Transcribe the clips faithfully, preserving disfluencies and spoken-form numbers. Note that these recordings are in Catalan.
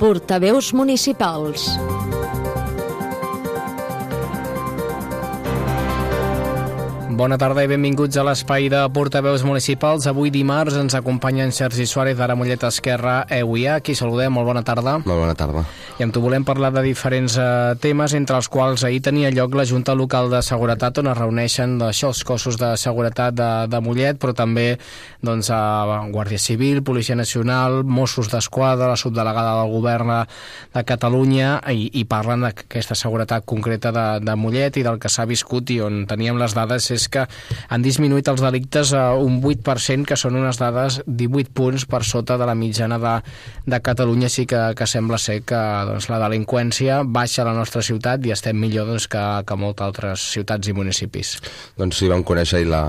Portaveus municipals. Bona tarda i benvinguts a l'espai de Portaveus municipals. Avui dimarts ens acompanya en Sergi Suárez d'Ara Mollet Esquerra E U I A. Qui saludem, molt bona tarda. Molt bona tarda. I amb tu volem parlar de diferents eh, temes, entre els quals ahir tenia lloc la Junta Local de Seguretat, on es reuneixen això, els cossos de seguretat de, de Mollet, però també doncs, a Guàrdia Civil, Policia Nacional, Mossos d'Esquadra, la subdelegada del Govern de Catalunya, i, i parlen d'aquesta seguretat concreta de, de Mollet i del que s'ha viscut, i on teníem les dades és que han disminuït els delictes a un vuit per cent, que són unes dades divuit punts per sota de la mitjana de, de Catalunya. Així que, que sembla ser que doncs, la delinqüència baixa a la nostra ciutat i estem millor doncs, que, que moltes altres ciutats i municipis. Doncs sí, vam conèixer la,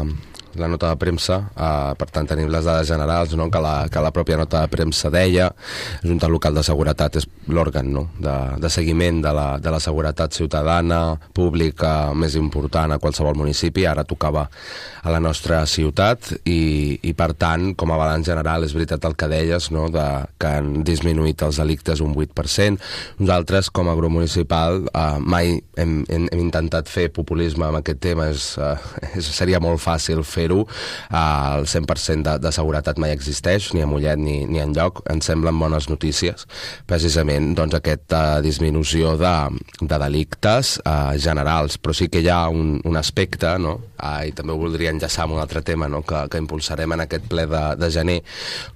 la nota de premsa, eh, per tant tenim les dades generals, no? que, la, que la pròpia nota de premsa deia. La Junta Local de Seguretat és l'òrgan, no? de, de seguiment de la, de la seguretat ciutadana, pública, més important a qualsevol municipi. Ara tocava a la nostra ciutat i, i per tant, com a balanç general, és veritat el que deies, no? de, que han disminuït els delictes un vuit per cent. Nosaltres, com a grup municipal, eh, mai hem, hem, hem intentat fer populisme amb aquest tema. És, eh, és, seria molt fàcil fer-ho. Eh, el cent per cent de, de seguretat mai existeix, ni a Mollet ni, ni enlloc. Ens semblen bones notícies, precisament doncs, aquesta disminució de, de delictes eh, generals, però sí que hi ha un, un aspecte, no? eh, i també ho voldria enllaçar amb un altre tema, no? que, que impulsarem en aquest ple de, de gener,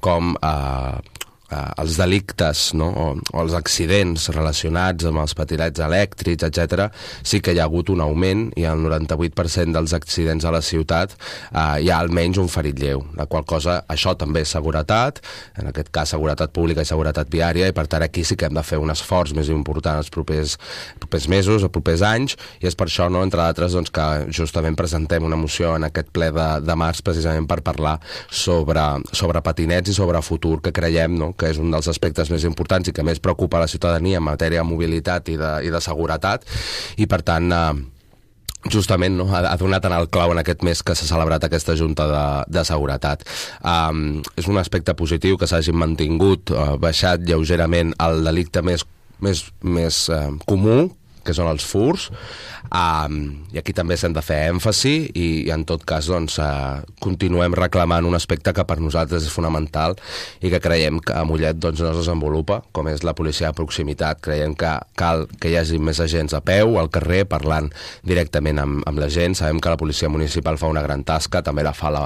com eh, eh, els delictes, no? o, o els accidents relacionats amb els patinets elèctrics, etcètera, sí que hi ha hagut un augment, i el noranta-vuit per cent dels accidents a la ciutat eh, hi ha almenys un ferit lleu, la qual cosa, això també és seguretat, en aquest cas seguretat pública i seguretat viària, i per tant aquí sí que hem de fer un esforç més important els propers, propers mesos, els propers anys, i és per això, no, entre d'altres, doncs, que justament presentem una moció en aquest ple de, de març, precisament per parlar sobre, sobre patinets i sobre futur, que creiem, no, que és un dels aspectes més importants i que més preocupa la ciutadania en matèria de mobilitat i de, i de seguretat, i per tant eh, justament no, ha, ha donat en el clau en aquest mes que s'ha celebrat aquesta Junta de, de Seguretat. Um, és un aspecte positiu que s'hagin mantingut, uh, baixat lleugerament el delicte més, més, més uh, comú, que són els furs, um, i aquí també s'hem de fer èmfasi, i, i en tot cas doncs, uh, continuem reclamant un aspecte que per nosaltres és fonamental i que creiem que a Mollet doncs, no es desenvolupa, com és la policia de proximitat. Creiem que cal que hi hagi més agents a peu, al carrer, parlant directament amb, amb la gent. Sabem que la policia municipal fa una gran tasca, també la fa la,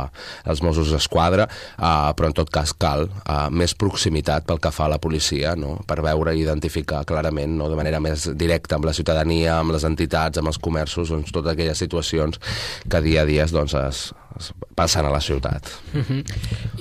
els Mossos d'Esquadra, uh, però en tot cas cal uh, més proximitat pel que fa a la policia, no? per veure i identificar clarament, no? de manera més directa amb la ciutadania, amb les entitats, amb els comerços, doncs, totes aquelles situacions que dia a dia doncs, es, es passen a la ciutat. Uh-huh.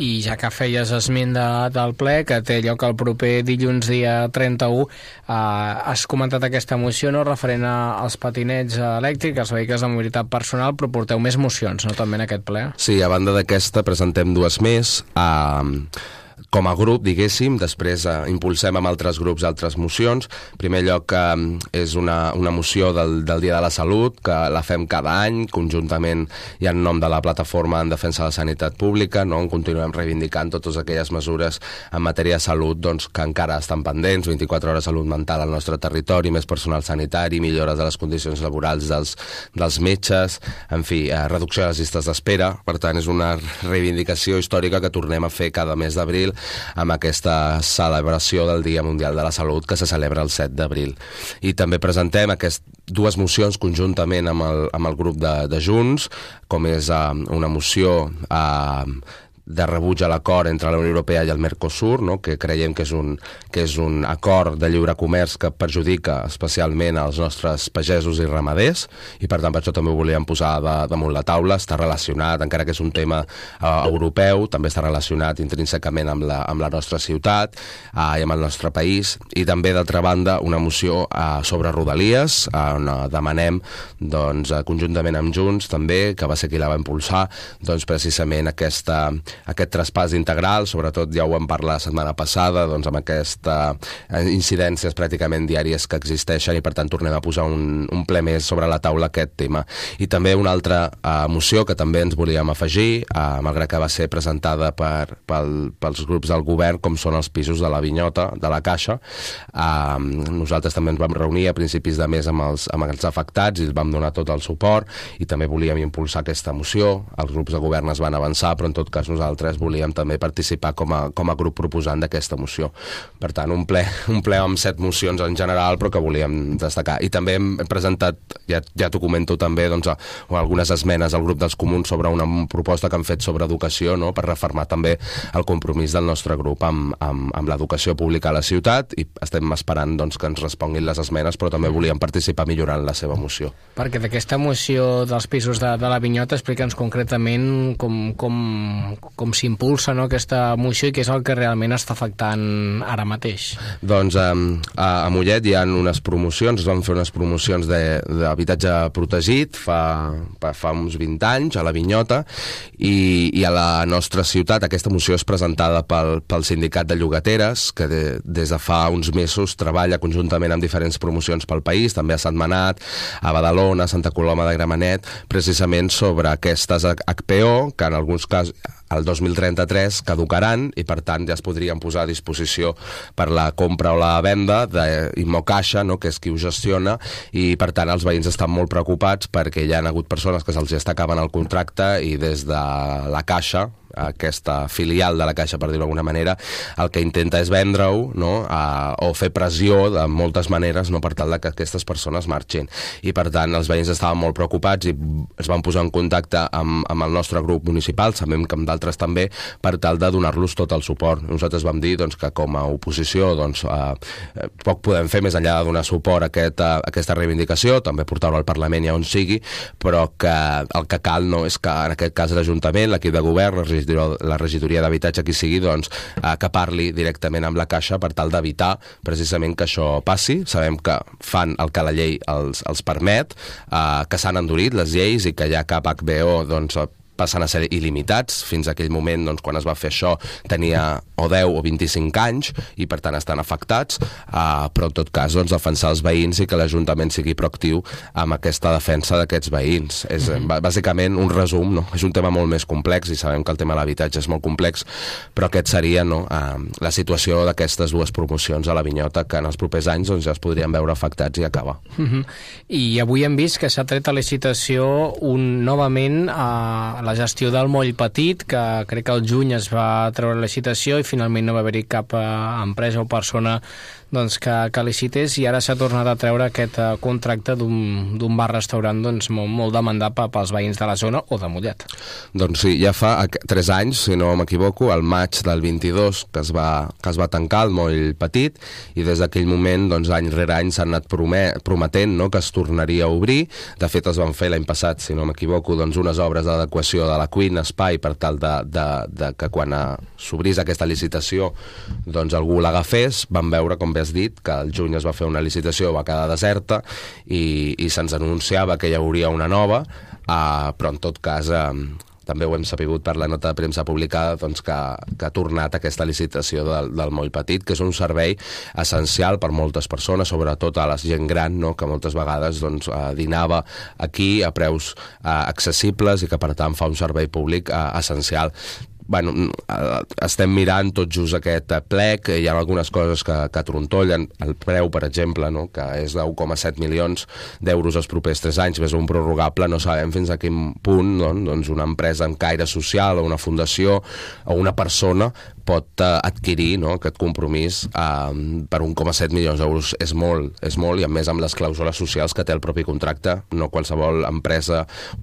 I ja que feies esment de, del ple, que té lloc el proper dilluns dia trenta-u, eh, has comentat aquesta moció, no?, referent a, als patinets elèctrics, als vehicles de mobilitat personal, però porteu més mocions, no?, també en aquest ple? Sí, a banda d'aquesta presentem dues més, eh, com a grup, diguéssim. Després eh, impulsem amb altres grups altres mocions. En primer lloc, eh, és una, una moció del, del Dia de la Salut, que la fem cada any, conjuntament i en nom de la Plataforma en Defensa de la Sanitat Pública, no? On continuem reivindicant totes aquelles mesures en matèria de salut doncs, que encara estan pendents, vint-i-quatre hores de salut mental al nostre territori, més personal sanitari, millores de les condicions laborals dels, dels metges, en fi, eh, reducció de les llistes d'espera. Per tant, és una reivindicació històrica que tornem a fer cada mes d'abril amb aquesta celebració del Dia Mundial de la Salut, que se celebra el set d'abril. I també presentem aquest, dues mocions conjuntament amb el, amb el grup de, de Junts, com és uh, una moció uh, de rebuig a l'acord entre la Unió Europea i el Mercosur, no? que creiem que és, un, que és un acord de lliure comerç que perjudica especialment als nostres pagesos i ramaders, i per tant per això també ho volíem posar de, damunt la taula. Està relacionat, encara que és un tema eh, europeu, també està relacionat intrínsecament amb la, amb la nostra ciutat eh, i amb el nostre país. I també, d'altra banda, una moció eh, sobre Rodalies, eh, on demanem doncs, conjuntament amb Junts també, que va ser qui la va impulsar, doncs precisament aquesta aquest traspàs integral, sobretot ja ho vam parlar la setmana passada, doncs amb aquestes incidències pràcticament diàries que existeixen, i per tant tornem a posar un, un ple més sobre la taula aquest tema. I també una altra uh, moció que també ens volíem afegir, uh, malgrat que va ser presentada per, pel, pels grups del govern, com són els pisos de la Vinyota, de la Caixa. Uh, nosaltres també ens vam reunir a principis de mes amb els, amb els afectats i els vam donar tot el suport, i també volíem impulsar aquesta moció. Els grups de govern es van avançar, però en tot cas nosaltres volíem també participar com a, com a grup proposant d'aquesta moció. Per tant, un ple, un ple amb set mocions en general, però que volíem destacar. I també hem presentat, ja, ja t'ho comento també, doncs, a, algunes esmenes al grup dels comuns sobre una proposta que han fet sobre educació, no?, per refermar també el compromís del nostre grup amb, amb, amb l'educació pública a la ciutat, i estem esperant, doncs, que ens responguin les esmenes, però també volíem participar millorant la seva moció. Perquè d'aquesta moció dels pisos de, de la Vinyota, explica'ns concretament com, com, com s'impulsa, no?, aquesta moció, i què és el que realment està afectant ara mateix. Doncs a, a, a Mollet hi ha unes promocions, es van fer unes promocions d'habitatge protegit fa, fa uns vint anys a la Vinyota, i, i a la nostra ciutat aquesta moció és presentada pel, pel sindicat de llogateres, que de, des de fa uns mesos treballa conjuntament amb diferents promocions pel país, també a Sentmenat, a Badalona, a Santa Coloma de Gramenet, precisament sobre aquestes H P O, que en alguns casos el dos mil trenta-tres caducaran, i per tant ja es podrien posar a disposició per la compra o la venda d'Immocaixa, no?, que és qui ho gestiona, i per tant els veïns estan molt preocupats perquè hi ha hagut persones que se'ls està acabant el contracte, i des de la Caixa, aquesta filial de la Caixa, per dir-ho d'alguna manera, el que intenta és vendre-ho, no?, a, o fer pressió de moltes maneres, no?, per tal que aquestes persones marxin. I per tant els veïns estaven molt preocupats i es van posar en contacte amb, amb el nostre grup municipal, sabem que amb d'altres també, per tal de donar-los tot el suport. Nosaltres vam dir, doncs, que com a oposició, doncs, eh, poc podem fer més enllà de donar suport a, aquest, a aquesta reivindicació, també portar-ho al Parlament i on sigui, però que el que cal, no?, és que en aquest cas l'Ajuntament, l'equip de govern, la regidoria d'habitatge, qui sigui, doncs, eh, que parli directament amb la Caixa per tal d'evitar precisament que això passi. Sabem que fan el que la llei els, els permet, eh, que s'han endurit les lleis i que ja cap H B O, doncs, passen a ser il·limitats. Fins a aquell moment, doncs, quan es va fer això, tenia o deu o vint-i-cinc anys, i per tant estan afectats, uh, però en tot cas, doncs, defensar els veïns i que l'Ajuntament sigui proactiu amb aquesta defensa d'aquests veïns. És mm-hmm. bàsicament un resum, no? És un tema molt més complex, i sabem que el tema de l'habitatge és molt complex, però aquest seria, no?, uh, la situació d'aquestes dues promocions a la Vinyota, que en els propers anys, doncs, ja es podrien veure afectats i acabar. Mm-hmm. I avui hem vist que s'ha tret a licitació un, novament, a uh, la gestió del Moll Petit, que crec que al juny es va treure la licitació i finalment no va haver-hi cap uh, empresa o persona, doncs, que, que licités, i ara s'ha tornat a treure aquest uh, contracte d'un bar-restaurant, doncs, molt, molt demandat pels veïns de la zona o de Mollet. Doncs sí, ja fa tres anys, si no m'equivoco, al maig del vint-i-dos, que es va, que es va tancar el Moll Petit, i des d'aquell moment, doncs, any rere any s'han anat prometent, no?, que es tornaria a obrir. De fet, es van fer l'any passat, si no m'equivoco, doncs, unes obres d'adequació de la cuina, espai, per tal de, de, de que quan s'obrís aquesta licitació, doncs, algú l'agafés. Vam veure, com bé has dit, que al juny es va fer una licitació, va quedar deserta, i, i se'ns anunciava que hi hauria una nova, uh, però en tot cas uh, també ho hem sabut per la nota de premsa publicada, doncs, que, que ha tornat aquesta licitació del, del Moll Petit, que és un servei essencial per moltes persones, sobretot a la gent gran, no?, que moltes vegades, doncs, uh, dinava aquí a preus uh, accessibles, i que per tant fa un servei públic uh, essencial. Bueno, estem mirant tot just aquest plec, hi ha algunes coses que, que trontollen. El preu, per exemple, no?, que és de un coma set milions d'euros els propers tres anys, més un prorrogable, no sabem fins a quin punt, no?, doncs una empresa amb caire social o una fundació o una persona pot uh, adquirir, no?, aquest compromís uh, per un coma set milions d'euros. És molt, és molt, i a més amb les clàusules socials que té el propi contracte, no qualsevol empresa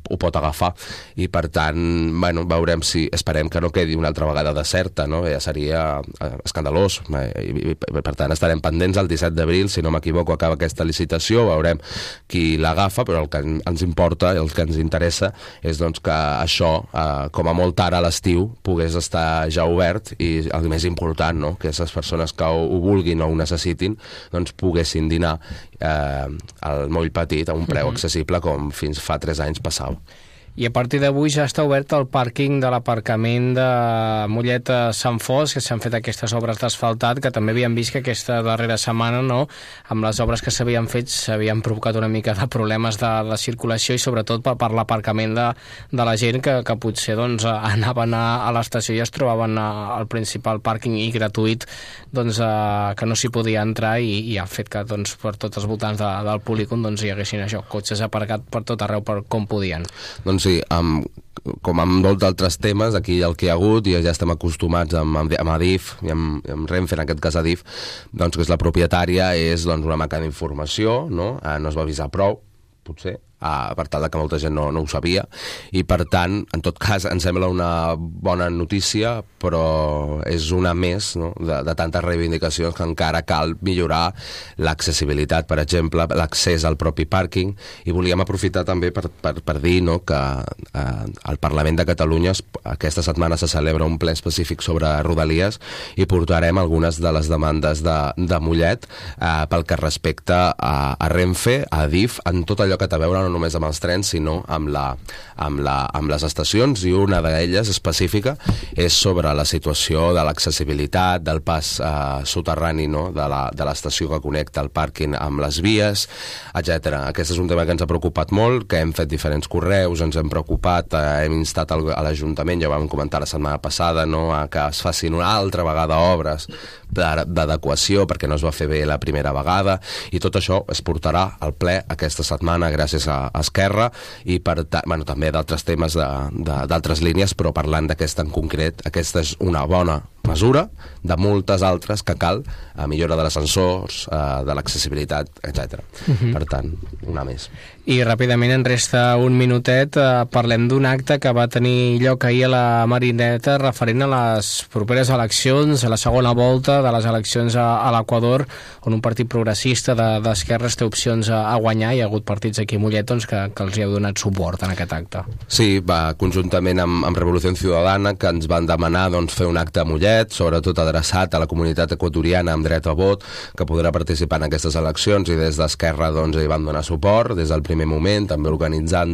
ho pot agafar, i per tant, bueno, veurem si, esperem que no quedi una altra vegada deserta, no?, ja seria uh, escandalós, i, i, i per tant estarem pendents. El disset d'abril, si no m'equivoco, acaba aquesta licitació, veurem qui l'agafa, però el que ens importa, el que ens interessa és, doncs, que això, uh, com a molt ara a l'estiu, pogués estar ja obert, i el més important, no?, que aquestes persones que ho, ho vulguin o ho necessitin, doncs poguessin dinar eh, al Moll Petit a un preu accessible com fins fa tres anys passava. I a partir d'avui ja està obert el pàrquing de l'aparcament de Mollet a Sant Fos, que s'han fet aquestes obres d'asfaltat, que també havíem vist que aquesta darrera setmana, no, amb les obres que s'havien fet, s'havien provocat una mica de problemes de, de circulació i sobretot per, per l'aparcament de, de la gent que, que potser doncs, anaven a, a l'estació i es trobaven a, al principal pàrquing i gratuït, doncs, a, que no s'hi podia entrar i, i ha fet que doncs, per tots els voltants de, del polígon doncs, hi haguessin això, cotxes aparcats per tot arreu per com podien. Doncs sí, amb, com amb molts altres temes, aquí el que hi ha hagut, i ja estem acostumats amb, amb Adif i amb, amb Renfe, en aquest cas Adif, doncs, que és la propietària, és doncs, una manca d'informació, no? Eh, no es va avisar prou, potser, Uh, per tal que molta gent no, no ho sabia, i per tant, en tot cas, ens sembla una bona notícia, però és una més, no? de, de tantes reivindicacions que encara cal millorar l'accessibilitat, per exemple, l'accés al propi pàrquing, i volíem aprofitar també per, per, per dir, no, que uh, al Parlament de Catalunya aquesta setmana se celebra un ple específic sobre Rodalies i portarem algunes de les demandes de, de Mollet uh, pel que respecta a, a Renfe, a Adif, en tot allò que té a veure no només amb els trens, sinó amb, la, amb, la, amb les estacions, i una d'elles específica és sobre la situació de l'accessibilitat, del pas eh, soterrani, no? de l'estació que connecta el pàrquing amb les vies, etcètera. Aquest és un tema que ens ha preocupat molt, que hem fet diferents correus, ens hem preocupat, eh, hem instat al, a l'Ajuntament, ja ho vam comentar la setmana passada, no? a que es facin una altra vegada obres d'adequació perquè no es va fer bé la primera vegada, i tot això es portarà al ple aquesta setmana gràcies a Esquerra, i per bueno, també d'altres temes d'altres línies, però parlant d'aquesta en concret, aquesta és una bona mesura de moltes altres que cal, a millora de l'ascensors, de l'accessibilitat, etcètera. Uh-huh. Per tant, una més. I ràpidament en resta un minutet, eh, parlem d'un acte que va tenir lloc ahir a la Marineta referent a les properes eleccions, a la segona volta de les eleccions a, a l'Equador, on un partit progressista d'esquerres de, té opcions a, a guanyar. Hi ha hagut partits aquí a Mollet doncs, que, que els hi heu donat suport en aquest acte. Sí, va, conjuntament amb, amb Revolució Ciudadana, que ens van demanar doncs, fer un acte a Mollet, sobretot adreçat a la comunitat equatoriana amb dret a vot, que podrà participar en aquestes eleccions, i des d'Esquerra doncs, hi van donar suport des del primer moment, també organitzant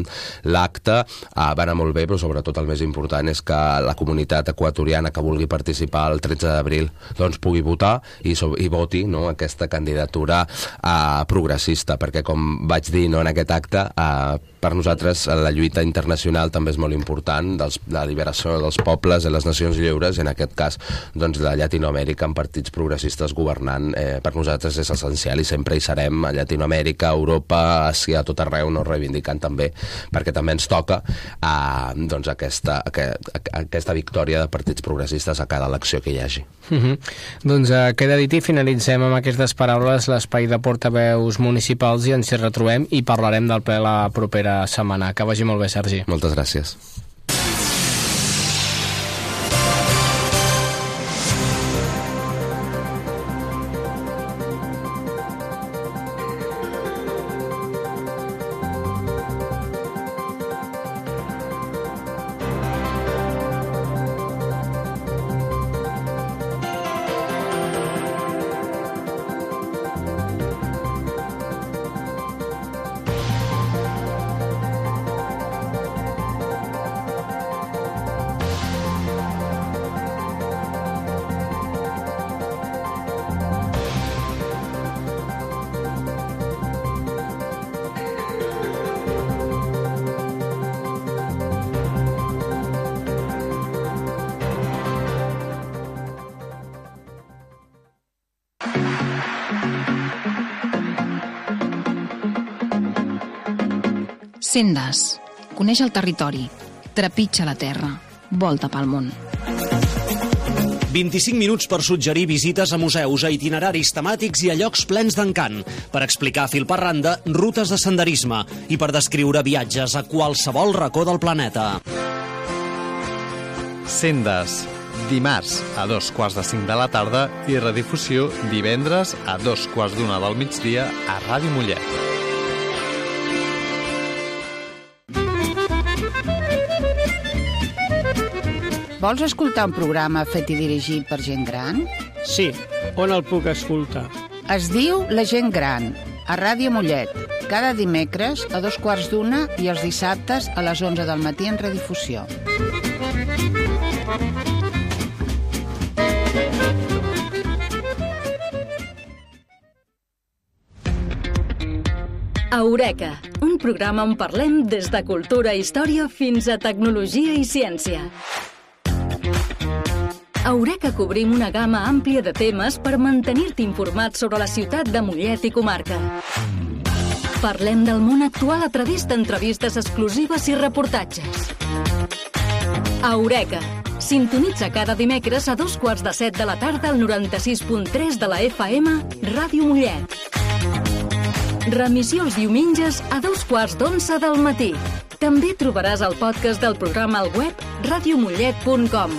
l'acte. Ah, va anar molt bé, però sobretot el més important és que la comunitat equatoriana que vulgui participar el tretze d'abril doncs, pugui votar i, i voti, no, aquesta candidatura ah, progressista, perquè com vaig dir, no, en aquest acte, ah, per nosaltres la lluita internacional també és molt important, dels, la liberació dels pobles i les nacions lliures, i en aquest cas doncs, de Llatinoamèrica amb partits progressistes governant, eh, per nosaltres és essencial, i sempre hi serem a Llatinoamèrica, Europa, Àsia, a tot arreu, no, reivindicant també, perquè també ens toca eh, doncs aquesta, aquesta victòria de partits progressistes a cada elecció que hi hagi. Uh-huh. Doncs uh, queda dit, i finalitzem amb aquestes paraules l'espai de portaveus municipals, i ens hi retrobem i parlarem del ple la propera setmana. Que vagi molt bé, Sergi. Moltes gràcies. Sendes. Coneix el territori. Trepitja la terra. Volta pel món. vint-i-cinc minuts per suggerir visites a museus, a itineraris temàtics i a llocs plens d'encant, per explicar fil per randa rutes de senderisme i per descriure viatges a qualsevol racó del planeta. Sendes. Dimarts a dos quarts de cinc de la tarda i redifusió divendres a dos quarts d'una del migdia a Ràdio Mollet. Vols escoltar un programa fet i dirigit per gent gran? Sí, on el puc escoltar? Es diu La gent gran, a Ràdio Mollet. Cada dimecres a dos quarts d'una i els dissabtes a les onze del matí en redifusió. Eureka, un programa on parlem des de cultura i història fins a tecnologia i ciència. A Eureka cobrim una gamma àmplia de temes per mantenir-te informat sobre la ciutat de Mollet i comarca. Parlem del món actual a través d'entrevistes exclusives i reportatges. Eureka. Sintonitza cada dimecres a dos quarts de set de la tarda al noranta-sis punt tres de la F M Ràdio Mollet. Remissió els diumenges a dos quarts d'onze del matí. També trobaràs el podcast del programa al web radiomollet punt com.